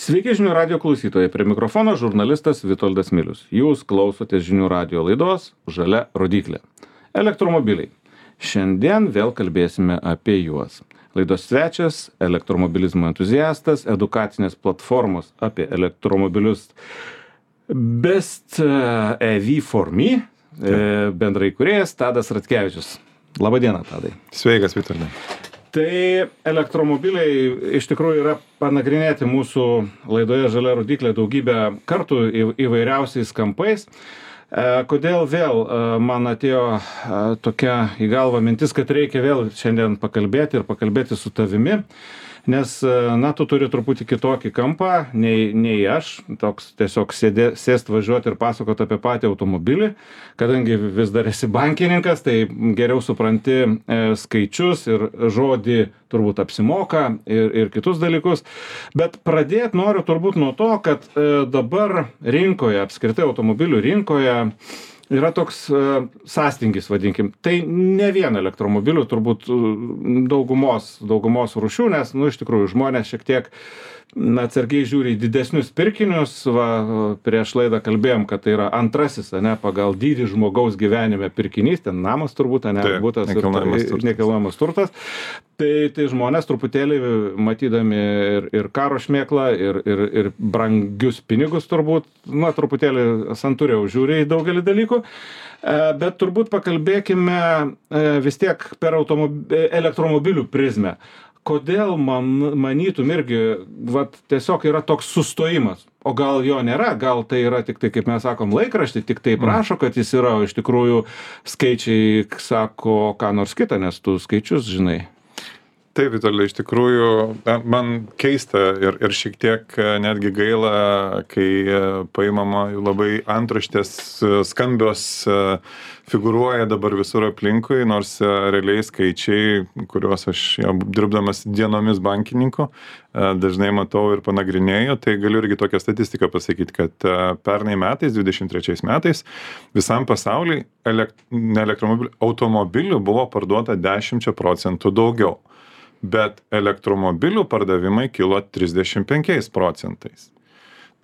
Sveiki žinių radio klausytojai, prie mikrofono žurnalistas Vitoldas Milius. Jūs klausotės žinių radio laidos Žalia rodyklė. Elektromobiliai. Šiandien vėl kalbėsime apie juos. Laidos svečias - elektromobilizmo entuziastas, edukacinės platformos apie elektromobilius Best EV for Me, bendrai kūrėjas Tadas Ratkevičius. Labadiena, Tadai. Sveikas, Vitoldai. Tai elektromobiliai iš tikrųjų yra panagrinėti mūsų laidoje Žalia rodyklė daugybę kartų įvairiausiais kampais. Kodėl vėl man atėjo tokia į galvą mintis, kad reikia vėl šiandien pakalbėti ir pakalbėti su tavimi, nes, na, tu turi truputį kitokį kampą nei aš, toks tiesiog sėst važiuoti ir pasakoti apie patį automobilį, kadangi vis dar esi bankininkas, tai geriau supranti skaičius ir žodį turbūt apsimoka ir kitus dalykus. Bet pradėti noriu turbūt nuo to, kad dabar rinkoje, apskritai automobilių rinkoje, yra toks sąstingis, vadinkim. Tai ne vien elektromobilių, turbūt daugumos rūšių, nes, iš tikrųjų, žmonės šiek tiek atsargiai žiūri į didesnius pirkinius. Prieš laidą kalbėjom, kad tai yra antrasis, pagal dydį žmogaus gyvenime pirkinys, ten namas turbūt, būtas nekilnojamas turtas. Tai žmonės truputėlį matydami ir karo šmėklą, ir brangius pinigus turbūt, truputėlį santūriau žiūri į daugelį dalykų. Bet turbūt pakalbėkime vis tiek per elektromobilių prizmę. Kodėl manytum irgi, tiesiog yra toks sustojimas, o gal jo nėra, gal tai yra tik tai, kaip mes sakom, laikraštį, tik tai prašo, kad jis yra, o iš tikrųjų skaičiai sako ką nors kitą, nes tu skaičius žinai. Taip, Vitoldai, iš tikrųjų, man keista ir šiek tiek netgi gaila, kai paimama labai antraštės skambios figūruoja dabar visur aplinkui, nors realiai skaičiai, kuriuos aš dirbdamas dienomis bankininku dažnai matau ir panagrinėju, tai galiu irgi tokią statistiką pasakyti, kad pernai metais, 23 metais, visam pasauliui automobilių buvo parduota 10% daugiau. Bet elektromobilių pardavimai kilo 35%.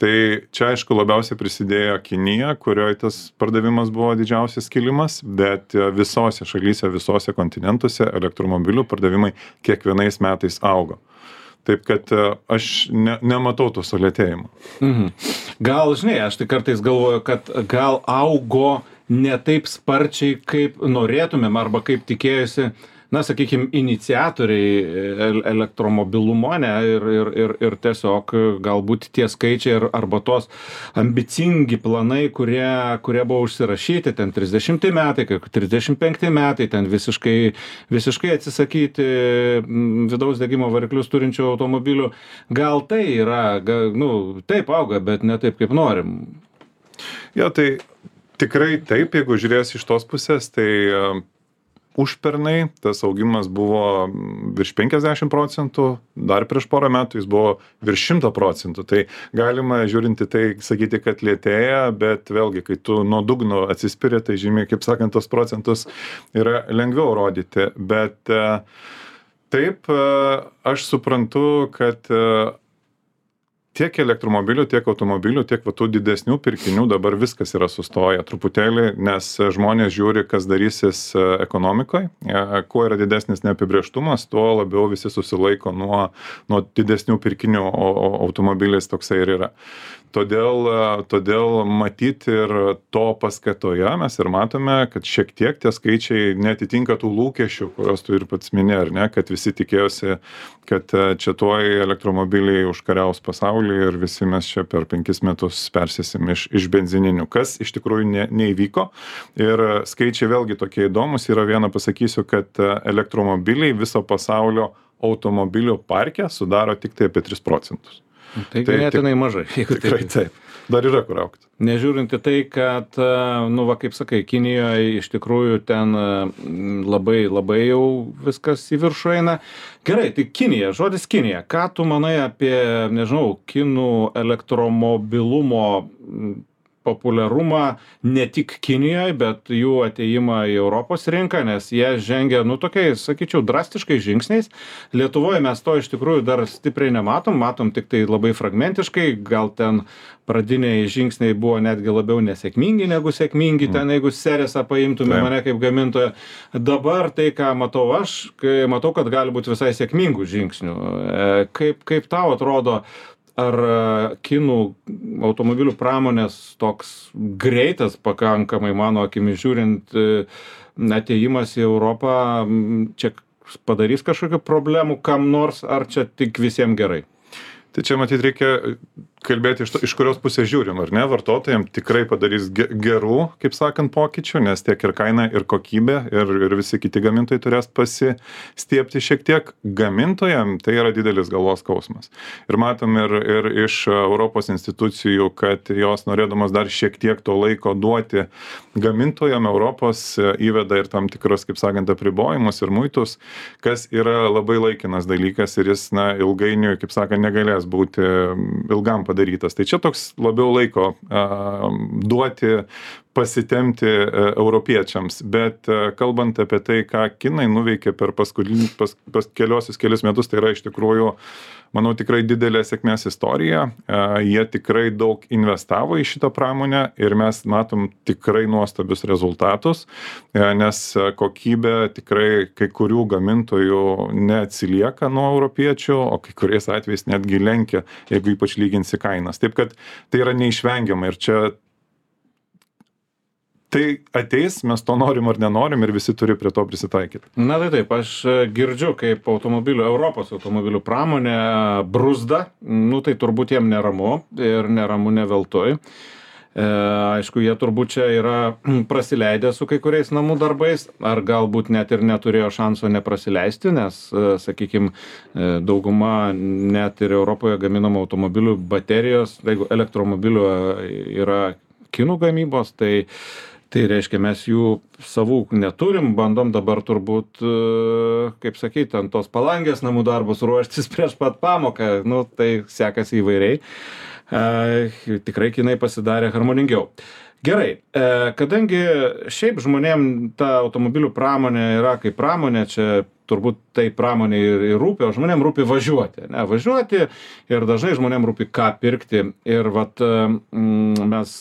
Tai čia, aišku, labiausiai prisidėjo Kinija, kurioje tas pardavimas buvo didžiausias kilimas, bet visose šalyse, visose kontinentuose elektromobilių pardavimai kiekvienais metais augo. Taip, kad aš nematau to sulėtėjimo. Gal, žinai, aš tai kartais galvoju, kad gal augo ne taip sparčiai, kaip norėtumėm arba kaip tikėjusi, sakykime, iniciatoriai elektromobilumo, ir tiesiog galbūt tie skaičiai arba tos ambicingi planai, kurie buvo užsirašyti, ten 30 metai, 35 metai, ten visiškai atsisakyti vidaus degimo variklius turinčių automobilių. Gal tai yra, taip auga, bet ne taip, kaip norim. Jo, tai tikrai taip, jeigu žiūrės iš tos pusės, tai užpernai tas augimas buvo virš 50%, dar prieš porą metų jis buvo virš 100%. Tai galima žiūrinti tai sakyti, kad lėtėja, bet vėlgi, kai tu nuo dugno atsispiri, tai žymiai, kaip sakant, tos procentus yra lengviau rodyti. Bet taip, aš suprantu, kad tiek elektromobilių, tiek automobilių, tiek tų didesnių pirkinių dabar viskas yra sustoję truputėlį, nes žmonės žiūri, kas darysis ekonomikoje. Kuo yra didesnis neapibrėžtumas, tuo labiau visi susilaiko nuo didesnių pirkinių, o automobilis toksai ir yra. Todėl matyti ir to paskatoje mes ir matome, kad šiek tiek tie skaičiai netitinka tų lūkesčių, kuriuos tu ir pats minėjai, ar ne, kad visi tikėjosi, kad čia tuoj elektromobiliai užkariaus pasaulį ir visi mes čia per 5 metus persėsim iš benzininių, kas iš tikrųjų neįvyko. Ir skaičiai vėlgi tokie įdomus. Yra vieną pasakysiu, kad elektromobiliai viso pasaulio automobilių parke sudaro tik tai apie 3%. Tai ganėtinai mažai. Tikrai taip. Dar yra kur augti. Nežiūrint į tai, kad, kaip sakai, Kinijoje iš tikrųjų ten labai jau viskas į viršų eina. Gerai, tai Kinija, žodis Kinija. Ką tu manai apie, kinų elektromobilumo populiarumą ne tik Kinijoje, bet jų ateimą į Europos rinką, nes jie žengia, tokiais, sakyčiau, drastiškai žingsniais. Lietuvoje mes to iš tikrųjų dar stipriai matom tik tai labai fragmentiškai, gal ten pradiniai žingsniai buvo netgi labiau nesėkmingi negu sėkmingi, ten jeigu Seresą paimtume mane kaip gamintoją. Dabar tai, ką matau aš, kai matau, kad gali būti visai sėkmingų žingsnių. Kaip tau atrodo, ar kinų automobilių pramonės toks greitas pakankamai, mano akimis žiūrint, atėjimas į Europą, čia padarys kažkokių problemų kam nors, ar čia tik visiems gerai? Tai čia matyt reikia kalbėti iš kurios pusės žiūrim, ar ne? Vartotojams tikrai padarys gerų, kaip sakant, pokyčių, nes tiek ir kaina, ir kokybė, ir visi kiti gamintojai turės pasistiepti šiek tiek. Gamintojams tai yra didelis galvos skausmas. Ir matom ir iš Europos institucijų, kad jos norėdamos dar šiek tiek to laiko duoti gamintojams, Europos įveda ir tam tikras, kaip sakant, apribojimus ir muitus, kas yra labai laikinas dalykas ir jis, ilgainiui, kaip sakant, negalės būti ilgam padarytas. Tai čia toks labiau laiko duoti, pasitemti europiečiams. Bet kalbant apie tai, ką kinai nuveikė per kelius metus, tai yra iš tikrųjų, manau, tikrai didelė sėkmės istorija. Jie tikrai daug investavo į šitą pramonę ir mes matom tikrai nuostabius rezultatus, nes kokybė tikrai kai kurių gamintojų neatsilieka nuo europiečių, o kai kuriais atvejais netgi lenkia, jeigu ypač lyginsi kainas. Taip kad tai yra neišvengiama ir čia tai ateis, mes to norim ar nenorim ir visi turi prie to prisitaikyti. Na tai taip, aš girdžiu, kaip Europos automobilių pramonė bruzda, tai turbūt jiem neramu ir neramu ne veltui. Aišku, jie turbūt čia yra prasileidę su kai kuriais namų darbais, ar galbūt net ir neturėjo šanso neprasileisti, nes, sakykime, dauguma net ir Europoje gaminamų automobilių baterijos, jeigu elektromobilių yra kinų gamybos, tai reiškia, mes jų savų neturim, bandom dabar turbūt, kaip sakyti, ant tos palangės namų darbus ruoštis prieš pat pamoką, tai sekasi įvairiai. Tikrai kinai pasidarė harmoningiau. Gerai, kadangi šiaip žmonėm ta automobilių pramonė yra kaip pramonė, čia turbūt tai pramonė ir rūpi, o žmonėm rūpi važiuoti. Važiuoti ir dažnai žmonėm rūpi ką pirkti. Ir mes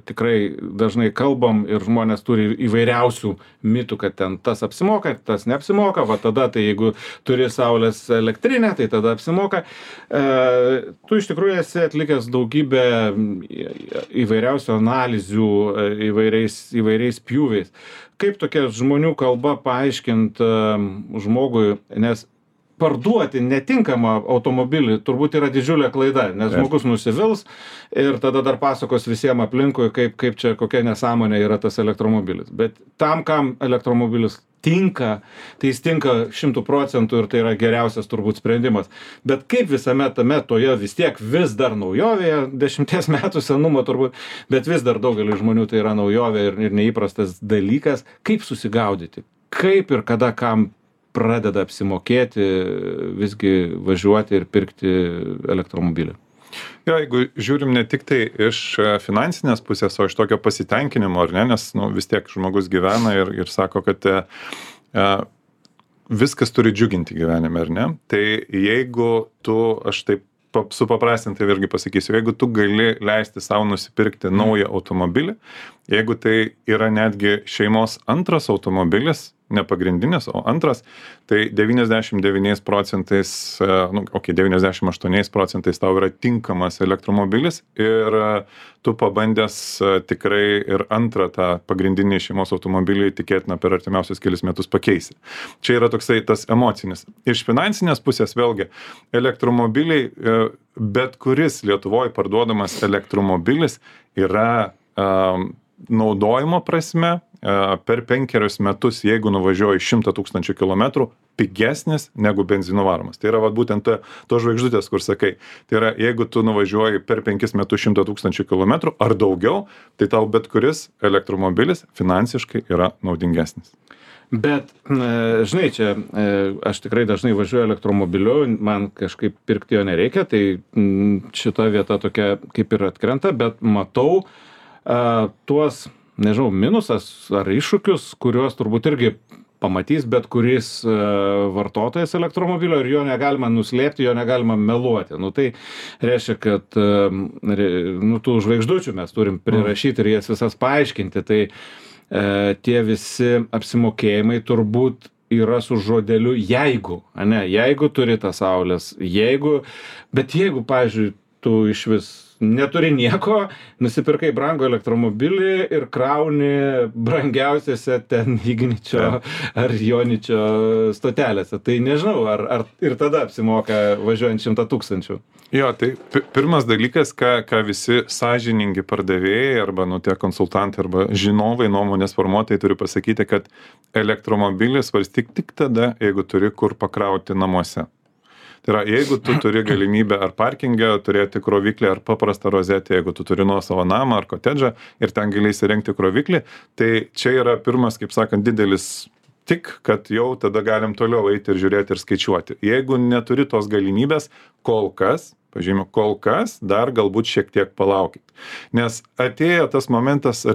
tikrai dažnai kalbam ir žmonės turi įvairiausių mitų, kad ten tas apsimoka, tas neapsimoka. Tada, tai jeigu turi saulės elektrinę, tai tada apsimoka. Tu iš tikrųjų esi atlikęs daugybę įvairiausių analizių įvairiais pjūviais. Kaip tokia žmonių kalba paaiškint žmogui, nes parduoti netinkamą automobilį turbūt yra didžiulė klaida, nes žmogus nusivils ir tada dar pasakos visiems aplinkui, kaip čia kokia nesąmonė yra tas elektromobilis. Bet tam, kam elektromobilis tinka, tai jis tinka 100% ir tai yra geriausias turbūt sprendimas. Bet kaip visame tame toje vis tiek vis dar naujovėje, 10 metų senumo turbūt, bet vis dar daugelį žmonių tai yra naujovė ir neįprastas dalykas, kaip susigaudyti, kaip ir kada kam pradeda apsimokėti visgi važiuoti ir pirkti elektromobilį. Jeigu žiūrim ne tik tai iš finansinės pusės, o iš tokio pasitenkinimo, ar ne, nes vis tiek žmogus gyvena ir sako, kad viskas turi džiuginti gyvenime, ar ne, tai jeigu tu, aš taip supaprastintai irgi pasakysiu, jeigu tu gali leisti savo nusipirkti naują automobilį, jeigu tai yra netgi šeimos antras automobilis, ne pagrindinis, o antras, tai 99% 98% tau yra tinkamas elektromobilis ir tu pabandęs tikrai ir antrą tą pagrindinį šeimos automobilį tikėtina per artimiausius kelis metus pakeisi. Čia yra toksai tas emocinis. Iš finansinės pusės vėlgi elektromobiliai, bet kuris Lietuvoje parduodamas elektromobilis yra naudojimo prasme per 5 metus, jeigu nuvažiuoji 100 000 kilometrų, pigesnis negu benzinu varomas. Tai yra būtent to žvaigždutės, kur sakai. Tai yra, jeigu tu nuvažiuoji per 5 metus 100 000 kilometrų ar daugiau, tai tau bet kuris elektromobilis finansiškai yra naudingesnis. Bet, žinai, čia aš tikrai dažnai važiuoju elektromobiliu, man kažkaip pirkti jo nereikia, tai šita vieta tokia kaip ir atkrenta, bet matau tuos, nežinau, minusas ar iššūkius, kuriuos turbūt irgi pamatys bet kuris vartotojas elektromobilio ir jo negalima nuslėpti, jo negalima meluoti. Nu, tai reiškia, kad tų žvaigždučių mes turim prirašyti ir jas visas paaiškinti. Tai tie visi apsimokėjimai turbūt yra su žodeliu jeigu, ne, jeigu turi tas saulės, bet jeigu, pavyzdžiui, tu iš vis neturi nieko, nusipirkai brangų elektromobilį ir krauni brangiausiose ten Igničio ar Joničio stotelėse. Tai nežinau, ar ir tada apsimoka važiuojant 100 000. Jo, tai pirmas dalykas, ką visi sąžiningi pardavėjai arba tie konsultantai arba žinovai, nuomonės formuotojai turi pasakyti, kad elektromobilį svarstyk tik tada, jeigu turi kur pakrauti namuose. Tai yra, jeigu tu turi galimybę ar parkingę turėti kroviklį, ar paprastą rozetę, jeigu tu turi nuosavą namą ar kotedžą ir ten gali įsirengti kroviklį, tai čia yra pirmas, kaip sakant, didelis tik, kad jau tada galim toliau eiti ir žiūrėti ir skaičiuoti. Jeigu neturi tos galimybės, kol kas, pažymiu, kol kas dar galbūt šiek tiek palaukit. Nes artėja tas momentas,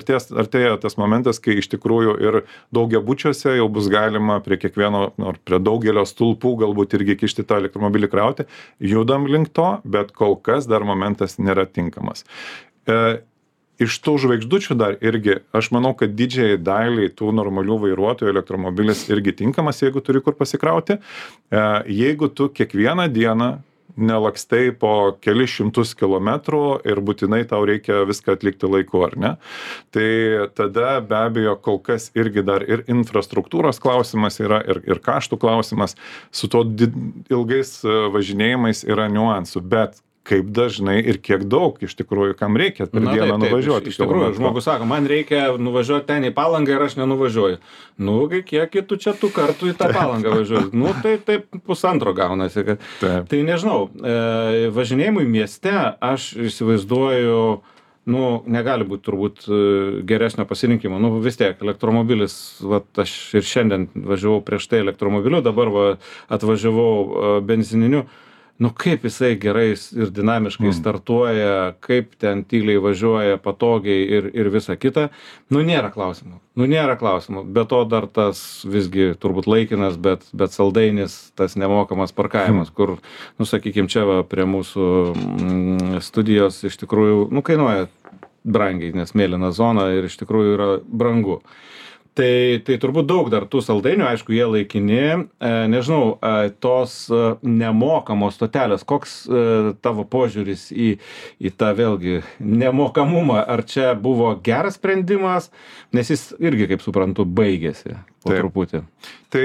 kai iš tikrųjų ir daugiabučiuose jau bus galima prie kiekvieno, ar prie daugelio stulpų galbūt irgi kišti tą elektromobilį krauti. Judam link to, bet kol kas dar momentas nėra tinkamas. Iš tų žvaigždučių dar irgi, aš manau, kad didžiai daliai tų normalių vairuotojų elektromobilis irgi tinkamas, jeigu turi kur pasikrauti. Jeigu tu kiekvieną dieną nelakstai po kelis šimtus kilometrų ir būtinai tau reikia viską atlikti laiku, ar ne? Tai tada be abejo kol kas irgi dar ir infrastruktūros klausimas yra, ir kaštų klausimas, su to ilgais važinėjimais yra niuansų, bet kaip dažnai ir kiek daug iš tikrųjų, kam reikia per dieną nuvažiuoti. Iš tikrųjų, žmogus sako, man reikia nuvažiuoti ten į Palangą ir aš nenuvažiuoju. Nu, kiek tu čia tų kartų į tą Palangą važiuoji? Nu, tai pusantro gaunasi. Tai nežinau, važinėjimui mieste aš įsivaizduoju, negali būti turbūt geresnio pasirinkimo. Vis tiek, elektromobilis, aš ir šiandien važiavau prieš tai elektromobiliu, dabar atvažiavau benzininiu. Kaip jisai gerai ir dinamiškai startuoja, kaip ten tyliai važiuoja, patogiai ir visa kita. Nėra klausimų. Be to dar tas visgi turbūt laikinas, bet saldainis, tas nemokamas parkavimas, kur, sakykim, čia prie mūsų studijos iš tikrųjų, kainuoja brangiai, nes mėlyna zona ir iš tikrųjų yra brangu. Tai turbūt daug dar tų saldainių, aišku, jie laikini. Nežinau, tos nemokamos stotelės, koks tavo požiūris į tą vėlgi nemokamumą? Ar čia buvo geras sprendimas, nes jis irgi, kaip suprantu, baigėsi po truputį? Tai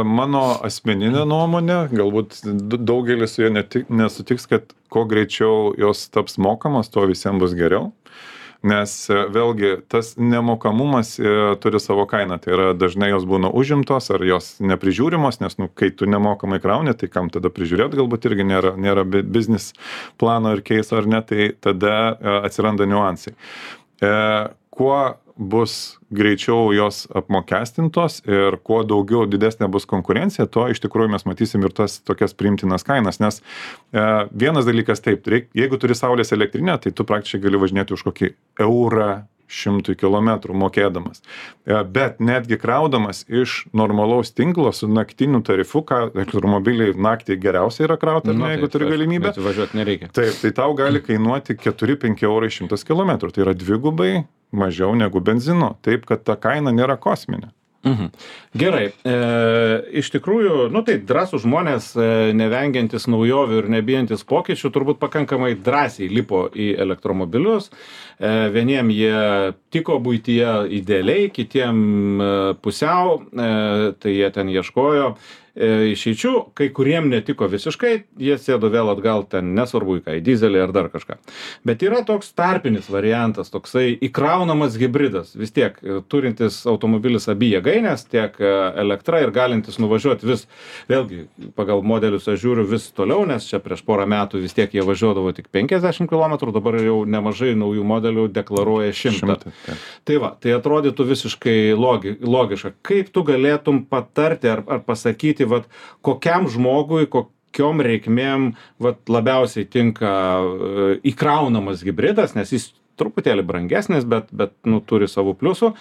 mano asmeninė nuomonė, galbūt daugelis su juo nesutiks, kad kuo greičiau jos taps mokamos, tuo visiems bus geriau. Nes vėlgi tas nemokamumas turi savo kainą, tai yra dažnai jos būna užimtos ar jos neprižiūrimos, nes kai tu nemokamai krauni, tai kam tada prižiūrėti, galbūt irgi nėra biznis plano ir keiso ar ne, tai tada atsiranda niuansai. Kuo bus greičiau jos apmokestintos ir kuo daugiau didesnė bus konkurencija, to iš tikrųjų mes matysim ir tas tokias priimtinas kainas, nes vienas dalykas taip, jeigu turi saulės elektrinę, tai tu praktiškai gali važinėti už kokį eurą 100 kilometrų mokėdamas. Bet netgi kraudamas iš normalaus tinklo su naktiniu tarifu, ką elektromobiliai naktį geriausiai yra krauti, jeigu turi galimybę. Bet važiuoti nereikia. Taip, tai tau gali kainuoti 4-5 eurai 100 kilometrų. Tai yra dvigubai mažiau negu benzino. Taip, kad ta kaina nėra kosminė. Gerai, iš tikrųjų, tai drąsūs žmonės, nevengiantis naujovių ir nebijantis pokyčių, turbūt pakankamai drąsiai lipo į elektromobilius. Vieniem jie tiko buityje idealiai, kitiem pusiau, tai jie ten ieškojo išeičių, kai kuriem netiko visiškai, jie sėdo vėl atgal ten, nesvarbu į ką, į dizelį ar dar kažką. Bet yra toks tarpinis variantas, toksai įkraunamas hibridas, vis tiek turintis automobilis abi jėgainės, tiek elektra ir galintis nuvažiuoti vis, vėlgi, pagal modelius aš žiūriu vis toliau, nes čia prieš porą metų vis tiek jie važiuodavo tik 50 km, dabar jau nemažai naujų modelių deklaruoja 100. Tai atrodytų visiškai logiška. Kaip tu galėtum patarti ar pasakyti, kokiam žmogui, kokiom reikmėm labiausiai tinka įkraunamas hibridas, nes jis truputėlį brangesnis, bet nu, turi savų pliusų.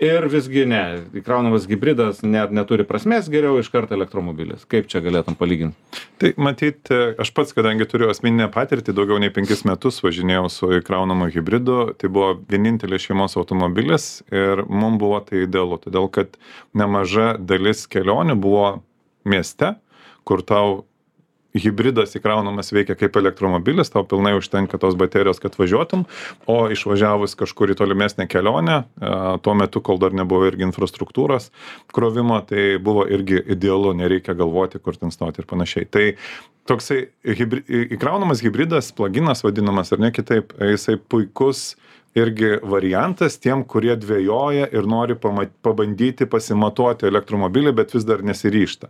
Ir visgi ne, įkraunamas hibridas neturi prasmės, geriau iš karto elektromobilis. Kaip čia galėtum palyginti? Tai matyt, aš pats, kadangi turiu asmeninę patirtį, daugiau nei 5 metus važinėjau su įkraunamu hibridu, tai buvo vienintelis šeimos automobilis ir mums buvo tai idealu, todėl kad nemaža dalis kelionių buvo mieste, kur tau hibridas įkraunamas veikia kaip elektromobilis, tau pilnai užtenka tos baterijos, kad važiuotum, o išvažiavus kažkur į tolimesnę kelionę, tuo metu, kol dar nebuvo irgi infrastruktūros krovimo, tai buvo irgi idealu, nereikia galvoti, kur ten stoti ir panašiai. Tai toksai įkraunamas hibridas, pluginas vadinamas ar ne kitaip, jisai puikus irgi variantas tiem, kurie dvejoja ir nori pabandyti pasimatuoti elektromobilį, bet vis dar nesiryžta.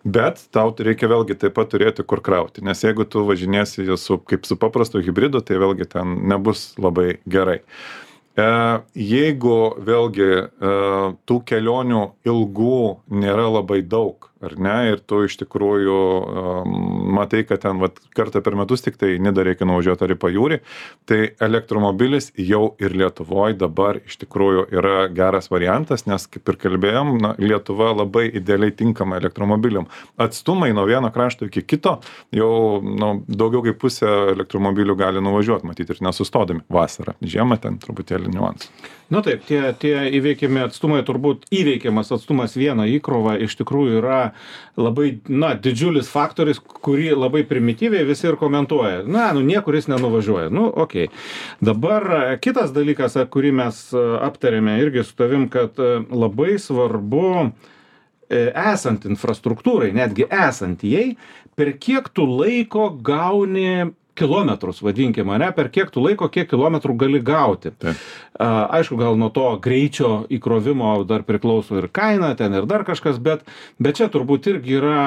Bet tau reikia vėlgi taip pat turėti kur krauti, nes jeigu tu važinėsi kaip su paprastu hibridu, tai vėlgi ten nebus labai gerai. Jeigu vėlgi tų kelionių ilgų nėra labai daug, ar ne, ir tu iš tikrųjų matai, kad ten kartą per metus tik tai Nidą reikia nuvažiuoti ar į pajūrį, tai elektromobilis jau ir Lietuvoje dabar iš tikrųjų yra geras variantas, nes kaip ir kalbėjom, Lietuva labai idealiai tinkama elektromobiliam. Atstumai nuo vieno krašto iki kito jau daugiau kaip pusę elektromobilių gali nuvažiuoti, matyti ir nesustodami vasarą. Žiemą ten truputėlį niuansų. Nu taip, tie įveikiami atstumai, turbūt įveikiamas atstumas vieną įkrovą iš tikrųjų yra labai, didžiulis faktorius, kurį labai primityviai visi ir komentuoja. Niekur jis nenuvažiuoja. Okei. Dabar kitas dalykas, kurį mes aptarėme irgi su tavim, kad labai svarbu esant infrastruktūrai, netgi esant jai, per kiek tu laiko gauni kilometrus, vadinkime, per kiek tu laiko, kiek kilometrų gali gauti. Taip. Aišku, gal nuo to greičio įkrovimo dar priklauso ir kaina, ten ir dar kažkas, bet čia turbūt irgi yra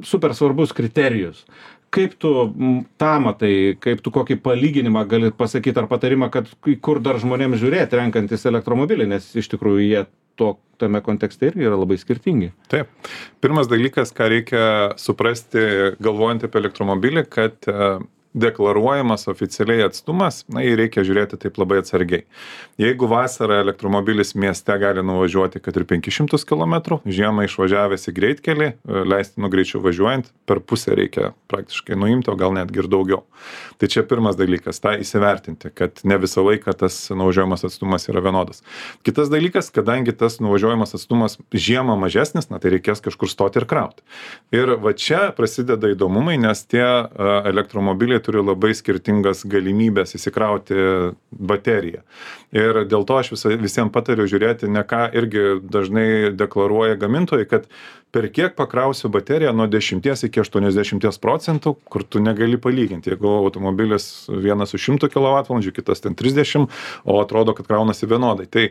super svarbus kriterijus. Kaip tu tą matai, kaip tu kokį palyginimą gali pasakyti ar patarimą, kad kur dar žmonėms žiūrėti, renkantis elektromobilį, nes iš tikrųjų jie tame kontekste irgi yra labai skirtingi. Taip. Pirmas dalykas, ką reikia suprasti, galvojant apie elektromobilį, kad deklaruojamas oficialiai atstumas, jį reikia žiūrėti taip labai atsargiai. Jeigu vasarą elektromobilis mieste gali nuvažiuoti, kad ir 500 km, žiemą išvažiavęs į greitkelį, leistinu greičiu važiuojant, per pusę reikia praktiškai nuimti, o gal netgi ir daugiau. Tai čia pirmas dalykas, tą įsivertinti, kad ne visą laiką tas nuvažiuojamas atstumas yra vienodas. Kitas dalykas, kadangi tas nuvažiuojamas atstumas žiemą mažesnis, tai reikės kažkur stoti ir krauti. Ir va čia prasideda įdomumai, nes tie elektromobiliai turi labai skirtingas galimybės įsikrauti bateriją. Ir dėl to aš visiems patariu žiūrėti, ne ką irgi dažnai deklaruoja gamintojai, kad per kiek pakrausiu bateriją nuo 10 iki 80%, kur tu negali palyginti. Jeigu automobilis vienas su 100 kWh, kitas ten 30, o atrodo, kad kraunasi vienodai. Tai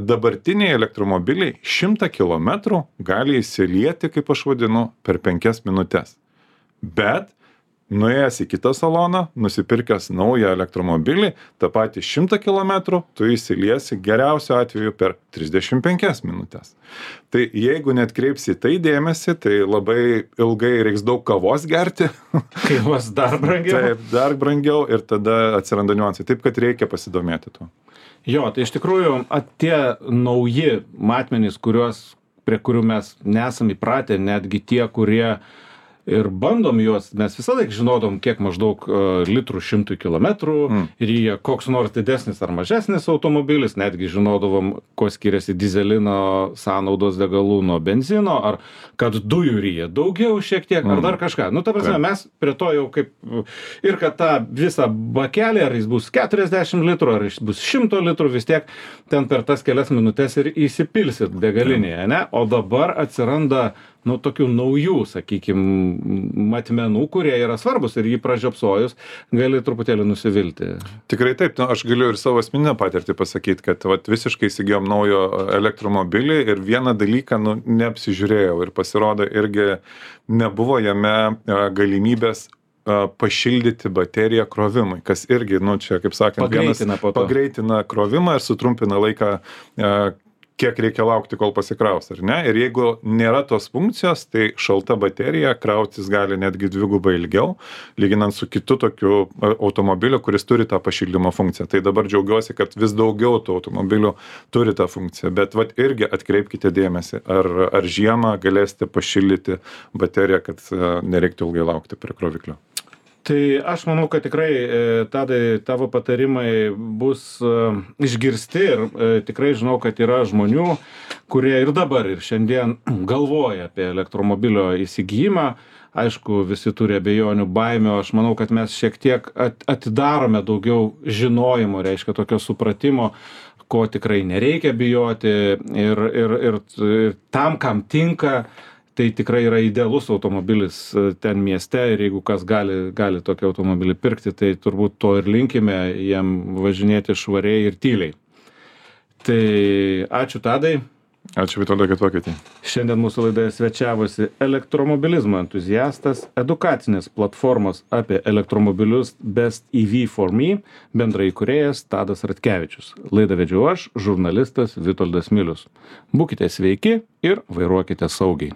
dabartiniai elektromobiliai 100 km gali įsilieti, kaip aš vadinu, per 5 minutės. Bet nuėjęs į kitą saloną, nusipirkęs naują elektromobilį, tą patį 100 km, tu įsiliesi geriausiu atveju per 35 minutės. Tai jeigu net kreipsi tai dėmesį, tai labai ilgai reiks daug kavos gerti. Kainuos dar brangiau. Taip, dar brangiau ir tada atsiranda niuansai. Taip, kad reikia pasidomėti tuo. Jo, tai iš tikrųjų tie nauji matmenys, prie kurių mes nesam įpratę, netgi tie, kurie ir bandom juos, mes visą laiką žinodom, kiek maždaug litrų 100 kilometrų ir jie koks nors didesnis ar mažesnis automobilis, netgi žinodavom, ko skiriasi dizelino sąnaudos degalų nuo benzino, ar kad dujų ryja daugiau šiek tiek, ar dar kažką. Ta prasme, mes prie to jau kaip, ir kad tą visą bakelį, ar jis bus 40 litrų, ar jis bus 100 litrų, vis tiek ten per tas kelias minutės ir įsipilsit degalinėje, ne? O dabar atsiranda tokių naujų, sakykime, matmenų, kurie yra svarbus ir jį pražiopsojus gali truputėlį nusivilti. Tikrai taip, aš galiu ir savo asmeninę patirtį pasakyti, kad visiškai įsigijom naujo elektromobilį ir vieną dalyką neapsižiūrėjau ir pasirodo irgi nebuvo jame galimybės pašildyti bateriją krovimui, kas irgi, čia kaip sakant, pagreitina pagreitina krovimą ir sutrumpina laiką kiek reikia laukti, kol pasikraus, ar ne? Ir jeigu nėra tos funkcijos, tai šalta baterija krautis gali netgi 2 ilgiau, lyginant su kitu tokiu automobiliu, kuris turi tą pašildymo funkciją. Tai dabar džiaugiuosi, kad vis daugiau tų automobilių turi tą funkciją. Bet vat irgi atkreipkite dėmesį, ar žiemą galėsite pašildyti bateriją, kad nereiktų ilgai laukti prie kroviklio. Tai aš manau, kad tikrai, Tadai, tavo patarimai bus išgirsti ir tikrai žinau, kad yra žmonių, kurie ir dabar, ir šiandien galvoja apie elektromobilio įsigijimą. Aišku, visi turi abejonių, baimių. Aš manau, kad mes šiek tiek atidarome daugiau žinojimo, reiškia tokio supratimo, ko tikrai nereikia bijoti ir tam, kam tinka. Tai tikrai yra idealus automobilis ten mieste ir jeigu kas gali tokį automobilį pirkti, tai turbūt to ir linkime jiem važinėti švariai ir tyliai. Tai ačiū, Tadai. Ačiū, Vitoldai, kad pakvietei. Šiandien mūsų laidoje svečiavosi elektromobilizmo entuziastas, edukacinės platformos apie elektromobilius Best EV for Me bendraįkūrėjas Tadas Ratkevičius. Laidą vedžiau aš, žurnalistas Vitoldas Milius. Būkite sveiki ir vairuokite saugiai.